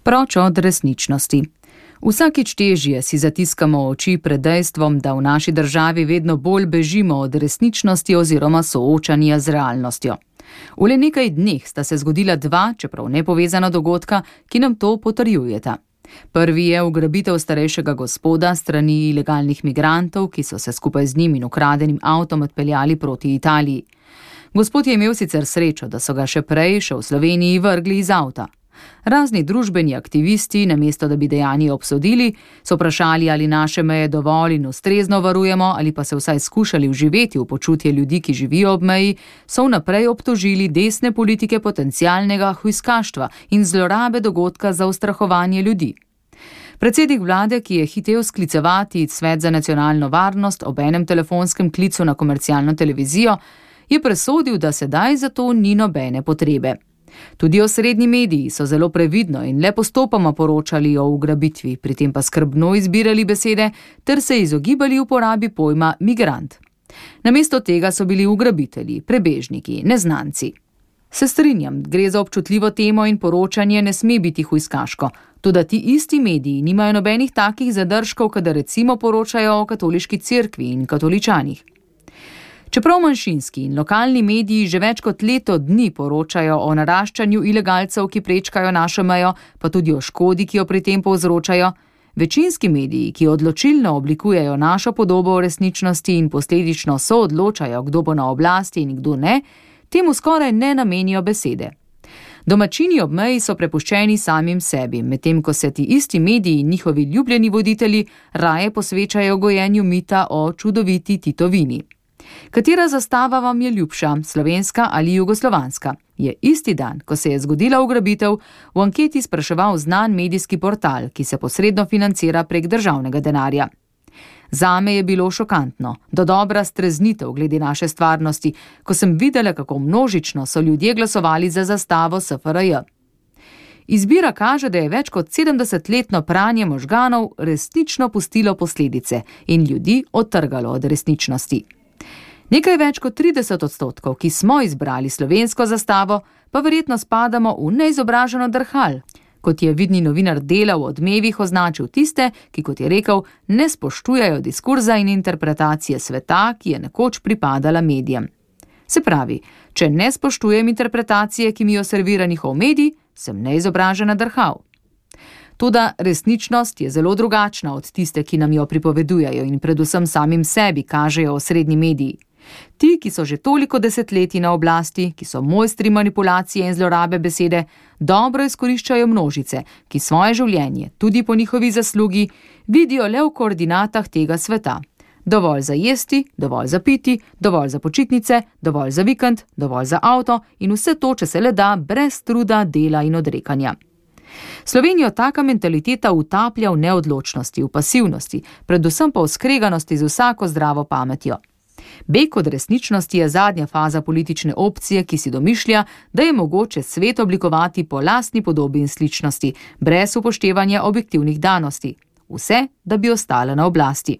Proč od resničnosti. Vsakič težje si zatiskamo oči pred dejstvom, da v naši državi vedno bolj bežimo od resničnosti oziroma soočanja z realnostjo. V le nekaj dneh sta se zgodila dva, čeprav nepovezana dogodka, ki nam to potrjujeta. Prvi je ugrabitev starejšega gospoda strani ilegalnih migrantov, ki so se skupaj z njim in ukradenim avtom odpeljali proti Italiji. Gospod je imel sicer srečo, da so ga še prej, še v Sloveniji, vrgli iz avta. Razni družbeni aktivisti, namesto da bi dejanje obsodili, so vprašali, ali naše meje dovolj in ustrezno varujemo, ali pa se vsaj skušali vživeti v počutje ljudi, ki živijo ob meji, so vnaprej obtožili desne politike potencialnega hujskaštva in zlorabe dogodka za ustrahovanje ljudi. Predsednik vlade, ki je hitel sklicevati Svet za nacionalno varnost ob enem telefonskem klicu na komercialno televizijo, je presodil, da sedaj za to ni nobene potrebe. Tudi osrednji mediji so zelo previdno in le postopoma poročali o ugrabitvi, pri tem pa skrbno izbirali besede ter se izogibali uporabi pojma migrant. Namesto tega so bili ugrabitelji, prebežniki, neznanci. Se strinjam, gre za občutljivo temo in poročanje ne sme biti hujskaško, toda ti isti mediji nimajo nobenih takih zadržkov, kadar recimo poročajo o katoliški cerkvi in katoličanih. Čeprav manjšinski in lokalni mediji že več kot leto dni poročajo o naraščanju ilegalcev, ki prečkajo našo mejo, pa tudi o škodi, ki jo pri tem povzročajo, večinski mediji, ki odločilno oblikujejo našo podobo o resničnosti in posledično soodločajo, kdo bo na oblasti in kdo ne, temu skoraj ne namenijo besede. Domačini ob meji so prepuščeni samim sebi, medtem ko se ti isti mediji in njihovi ljubljeni voditelji raje posvečajo gojenju mita o čudoviti Titovini. Katera zastava vam je ljubša, slovenska ali jugoslovanska? Je isti dan, ko se je zgodila ugrabitev, v anketi spraševal znan medijski portal, ki se posredno financira prek državnega denarja. Zame je bilo šokantno, dodobra streznitev glede naše stvarnosti, ko sem videla, kako množično so ljudje glasovali za zastavo SFRJ. Izbira kaže, da je več kot 70-letno pranje možganov resnično pustilo posledice in ljudi odtrgalo od resničnosti. Nekaj več kot 30%, ki smo izbrali slovensko zastavo, pa verjetno spadamo v neizobraženo drhal, kot je vidni novinar Dela v Odmevih označil tiste, ki, kot je rekel, ne spoštujejo diskurza in interpretacije sveta, ki je nekoč pripadala medijem. Se pravi, če ne spoštujem interpretacije, ki mi jo servira njihov medij, sem neizobražena drhal. Toda resničnost je zelo drugačna od tiste, ki nam jo pripovedujejo in predvsem samim sebi kažejo osrednji mediji. Ti, ki so že toliko desetletij na oblasti, ki so mojstri manipulacije in zlorabe besede, dobro izkoriščajo množice, ki svoje življenje, tudi po njihovi zaslugi, vidijo le v koordinatah tega sveta. Dovolj za jesti, dovolj za piti, dovolj za počitnice, dovolj za vikend, dovolj za avto in vse to, če se le da, brez truda, dela in odrekanja. Slovenijo taka mentaliteta utaplja v neodločnosti, v pasivnosti, predvsem pa v skreganosti z vsako zdravo pametjo. Beg od resničnosti je zadnja faza politične opcije, ki si domišlja, da je mogoče svet oblikovati po lastni podobi in sličnosti, brez upoštevanja objektivnih danosti. Vse, da bi ostala na oblasti.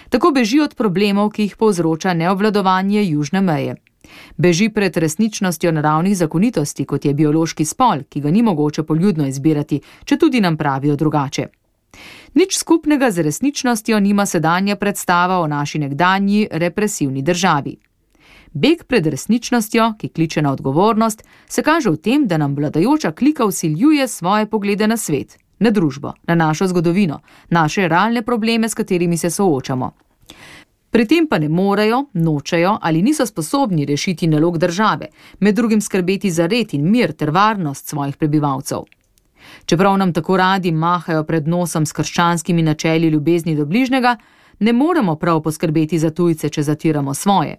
Tako beži od problemov, ki jih povzroča neobvladovanje južne meje. Beži pred resničnostjo naravnih zakonitosti, kot je biološki spol, ki ga ni mogoče poljudno izbirati, če tudi nam pravijo drugače. Nič skupnega z resničnostjo nima sedanja predstava o naši nekdanji represivni državi. Beg pred resničnostjo, ki kliče na odgovornost, se kaže v tem, da nam vladajoča klika vsiljuje svoje poglede na svet, na družbo, na našo zgodovino, naše realne probleme, s katerimi se soočamo. Pri tem pa ne morejo, nočejo ali niso sposobni rešiti nalog države, med drugim skrbeti za red in mir ter varnost svojih prebivalcev. Čeprav nam tako radi mahajo pred nosom s krščanskimi načeli ljubezni do bližnjega, ne moremo prav poskrbeti za tujce, če zatiramo svoje.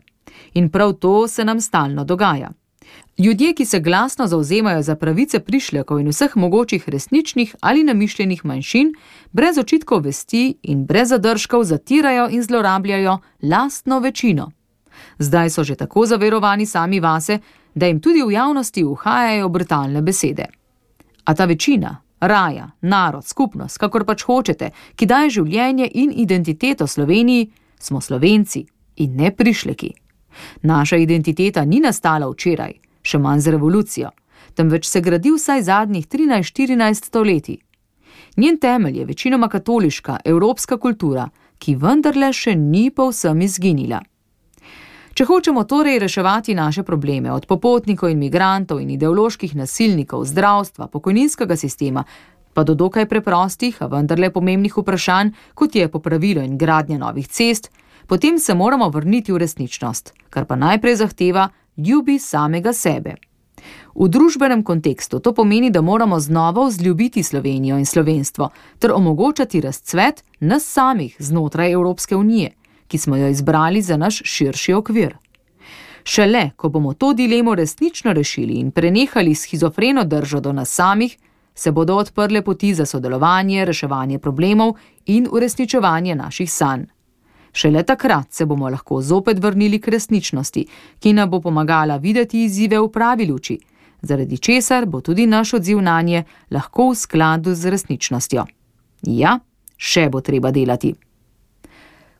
In prav to se nam stalno dogaja. Ljudje, ki se glasno zavzemajo za pravice prišlekov in vseh mogočih resničnih ali namišljenih manjšin, brez očitkov vesti in brez zadržkov zatirajo in zlorabljajo lastno večino. Zdaj so že tako zaverovani sami vase, da jim tudi v javnosti uhajajo brutalne besede. A ta večina, raja, narod, skupnost, kakor pač hočete, ki daje življenje in identiteto Sloveniji, smo Slovenci in ne prišleki. Naša identiteta ni nastala včeraj, še manj z revolucijo. temveč se gradi vsaj zadnjih 13-14 stoletij. Njen temelj je večinoma katoliška, evropska kultura, ki vendarle še ni povsem izginila. Če hočemo torej reševati naše probleme od popotnikov in migrantov in ideoloških nasilnikov, zdravstva, pokojninskega sistema, pa do dokaj preprostih, a vendarle pomembnih vprašanj, kot je popravilo in gradnja novih cest, potem se moramo vrniti v resničnost, kar pa najprej zahteva ljubi samega sebe. V družbenem kontekstu to pomeni, da moramo znova vzljubiti Slovenijo in slovenstvo ter omogočati razcvet nas samih znotraj Evropske unije, ki smo jo izbrali za naš širši okvir. Šele, ko bomo to dilemo resnično rešili in prenehali shizofreno držo do nas samih, se bodo odprle poti za sodelovanje, reševanje problemov in uresničevanje naših sanj. Šele takrat se bomo lahko zopet vrnili k resničnosti, ki nam bo pomagala videti izzive v pravi luči, zaradi česar bo tudi naš odziv nanje lahko v skladu z resničnostjo. Ja, še bo treba delati.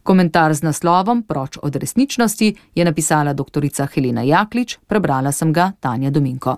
Komentar z naslovom Proč od resničnosti je napisala doktorica Helena Jaklič, prebrala sem ga Tanja Dominko.